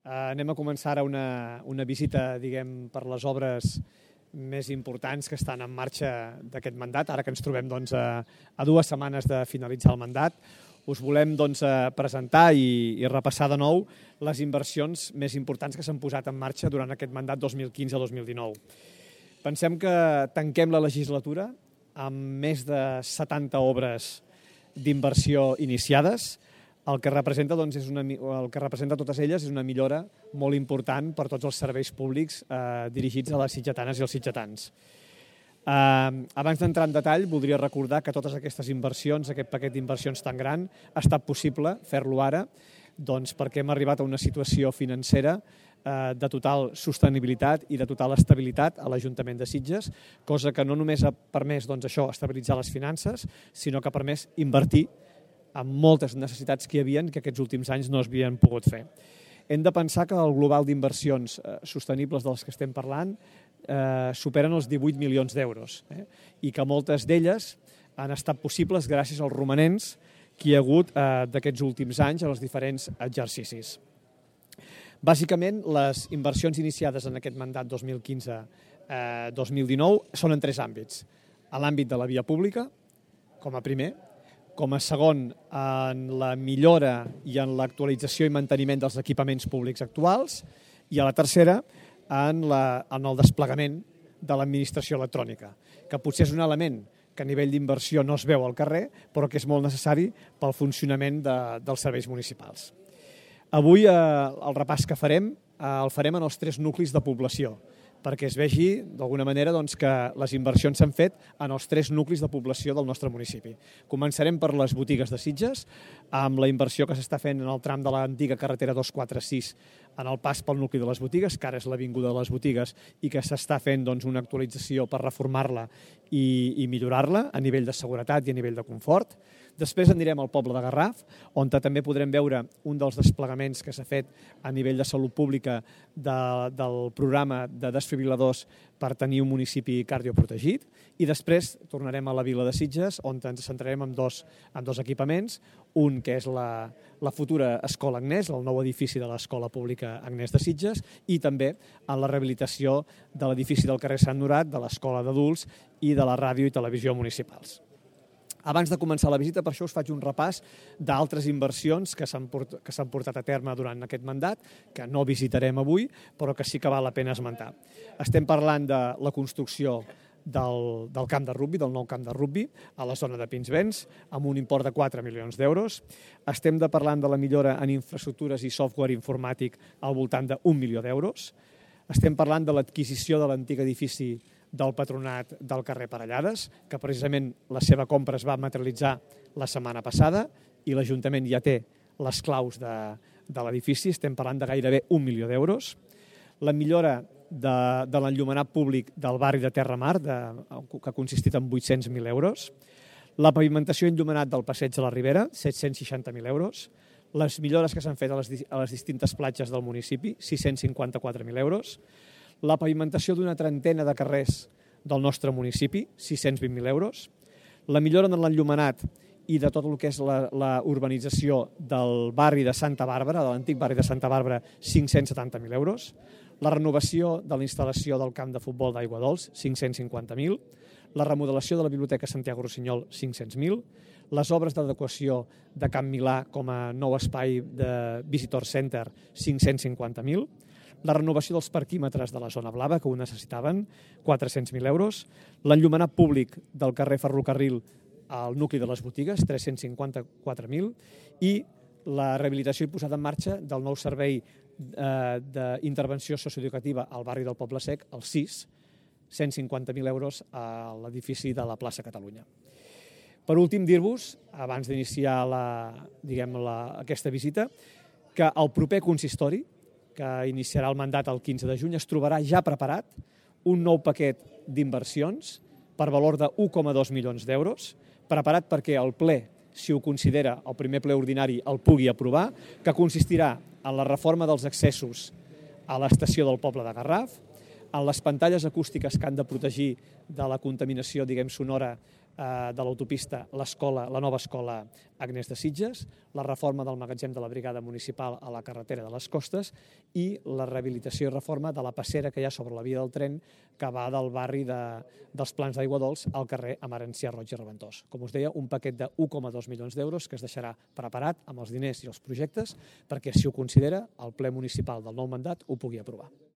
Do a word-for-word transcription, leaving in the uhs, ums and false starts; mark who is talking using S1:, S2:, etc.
S1: Anem a començar ara una, una visita, diguem, per les obres més importants que estan en marxa d'aquest mandat, ara que ens trobem doncs, a, a dues setmanes de finalitzar el mandat. Us volem doncs, presentar i, i repassar de nou les inversions més importants que s'han posat en marxa durant aquest mandat dos mil quinze a dos mil dinou. Pensem que tanquem la legislatura amb més de setanta obres d'inversió iniciades. El que representa, doncs, és una, el que representa totes elles és una millora molt important per tots els serveis públics eh, dirigits a les sitgetanes i els sitgetans. Eh, abans d'entrar en detall, voldria recordar que totes aquestes inversions, aquest paquet d'inversions tan gran, ha estat possible fer-lo ara, doncs, perquè hem arribat a una situació financera eh, de total sostenibilitat i de total estabilitat a l'Ajuntament de Sitges, cosa que no només ha permès doncs, això, estabilitzar les finances, sinó que ha permès invertir amb moltes necessitats que hi havia que aquests últims anys no es havien pogut fer. Hem de pensar que el global d'inversions eh, sostenibles dels que estem parlant eh, superen els divuit milions d'euros eh, i que moltes d'elles han estat possibles gràcies als romanents que hi ha hagut eh, d'aquests últims anys a els diferents exercicis. Bàsicament, les inversions iniciades en aquest mandat dos mil quinze dos mil dinou són en tres àmbits. A l'àmbit de la via pública, com a primer, com a segon, en la millora i en l'actualització i manteniment dels equipaments públics actuals, i a la tercera, en, la, en el desplegament de l'administració electrònica, que potser és un element que a nivell d'inversió no es veu al carrer, però que és molt necessari pel funcionament de, dels serveis municipals. Avui eh, el repàs que farem eh, el farem en els tres nuclis de població, perquè es vegi d'alguna manera doncs, que les inversions s'han fet en els tres nuclis de població del nostre municipi. Començarem per les botigues de Sitges, amb la inversió que s'està fent en el tram de l'antiga carretera dos cents quaranta sis en el pas pel nucli de les botigues, que ara és l'Avinguda de les Botigues, i que s'està fent doncs, una actualització per reformar-la i, i millorar-la a nivell de seguretat i a nivell de confort. Després anirem al poble de Garraf, on també podrem veure un dels desplegaments que s'ha fet a nivell de salut pública de, del programa de desfibriladors per tenir un municipi cardioprotegit. I després tornarem a la vila de Sitges, on ens centrarem en dos, en dos equipaments, un que és la, la futura Escola Agnès, el nou edifici de l'Escola Pública Agnès de Sitges, i també en la rehabilitació de l'edifici del carrer Sant Norat, de l'Escola d'Adults i de la ràdio i televisió municipals. Abans de començar la visita, per això us faig un repàs d'altres inversions que s'han portat, que s'han portat a terme durant aquest mandat, que no visitarem avui, però que sí que val la pena esmentar. Estem parlant de la construcció del, del camp de rugbi, del nou camp de rugbi, a la zona de Pinsbens, amb un import de quatre milions d'euros. Estem de parlant de la millora en infraestructures i software informàtic al voltant d'un milió d'euros. Estem parlant de l'adquisició de l'antic edifici del Patronat del carrer Parellades, que precisament la seva compra es va materialitzar la setmana passada i l'Ajuntament ja té les claus de, de l'edifici, estem parlant de gairebé un milió d'euros. La millora de, de l'enllumenat públic del barri de Terramar, de, que ha consistit en vuit-cents mil euros. La pavimentació enllumenat del passeig de la Ribera, set-cents seixanta mil euros. Les millores que s'han fet a les, a les distintes platges del municipi, sis-cents cinquanta-quatre mil euros. La pavimentació d'una trentena de carrers del nostre municipi, sis-cents vint mil euros. La millora en l'enllumenat i de tot el que és la, la urbanització del barri de Santa Bàrbara, de l'antic barri de Santa Bàrbara, cinc-cents setanta mil euros. La renovació de la instal·lació del camp de futbol d'Aigua Dols, cinc-cents cinquanta mil. La remodelació de la Biblioteca Santiago Rossinyol, cinc-cents mil. Les obres d'adequació de Camp Milà com a nou espai de Visitor Center, cinc-cents cinquanta mil. La renovació dels parquímetres de la zona blava, que ho necessitaven, quatre-cents mil euros. L'enllumenat públic del carrer Ferrocarril al nucli de les botigues, tres-cents cinquanta-quatre mil. I la rehabilitació i posada en marxa del nou servei eh, d'intervenció socioeducativa al barri del Poble Sec, el sis, cent cinquanta mil euros a l'edifici de la plaça Catalunya. Per últim, dir-vos, abans d'iniciar la, diguem, la, aquesta visita, que el proper consistori, que iniciarà el mandat el quinze de juny, es trobarà ja preparat un nou paquet d'inversions per valor de un coma dos milions d'euros, preparat perquè el ple, si ho considera el primer ple ordinari, el pugui aprovar, que consistirà en la reforma dels accessos a l'estació del poble de Garraf, en les pantalles acústiques que han de protegir de la contaminació, diguem, sonora de l'autopista l'escola, la nova escola Agnès de Sitges, la reforma del magatzem de la brigada municipal a la carretera de les Costes i la rehabilitació i reforma de la passera que hi ha sobre la via del tren que va del barri de, dels Plans d'Aigua Dols al carrer Amarantzià Roig i Reventós. Com us deia, un paquet de un coma dos milions d'euros que es deixarà preparat amb els diners i els projectes perquè, si ho considera, el ple municipal del nou mandat ho pugui aprovar.